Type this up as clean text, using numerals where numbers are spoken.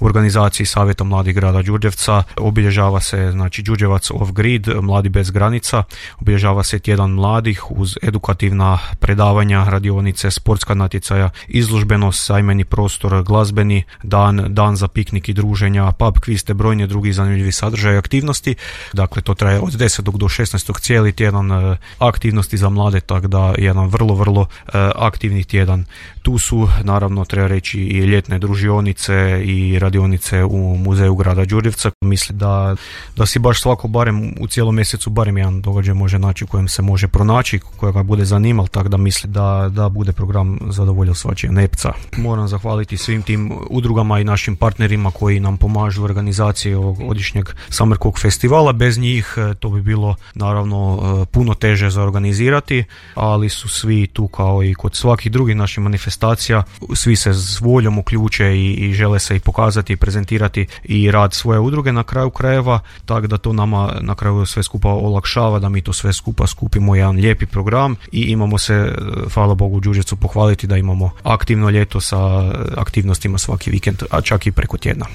u organizaciji Savjeta mladih grada Đurđevca. Obilježava se znači Đurđevac off grid, mladi bez granica, obilježava se tjedan mladih uz edukativna predavanja, radionice, sportska natjecaja, izložbenost, sajmeni prostor, glazbeni dan za piknik i druženja, pub quiz te brojni drugi zanimljivi sadržaj i aktivnosti. Dakle, to traje od 10. do 16. cijeli tjedan aktivnosti za mlade, tako da jedan vrlo aktivni tjedan. Tu su, naravno, treba reći i ljetne družionice i radionice u muzeju grada Đurđevca. Mislim da si baš svako barem u cijelom mjesecu barem jedan događaj može naći u kojem se može pronaći, kojega bude zanimal, tako da mislim da bude program zadovoljio svačije nepca. Moram zahvaliti svim tim udrugama i našim partnerima koji nam pomažu u organizaciji ovog godišnjeg Summer Cook festivala. Bez njih to bi bilo naravno puno teže za organizirati, ali su svi tu kao i kod svakih drugih naših manifestacija, svi se s voljom uključe i žele se i pokazati i prezentirati i rad svoje udruge na kraju krajeva, tako da to nama na kraju sve skupa olakšava, da mi to sve skupa skupimo jedan lijepi program i imamo se, hvala Bogu, u Đurđevcu pohvaliti da imamo aktivno ljeto sa aktivnostima svaki vikend, a čak i preko tjedna.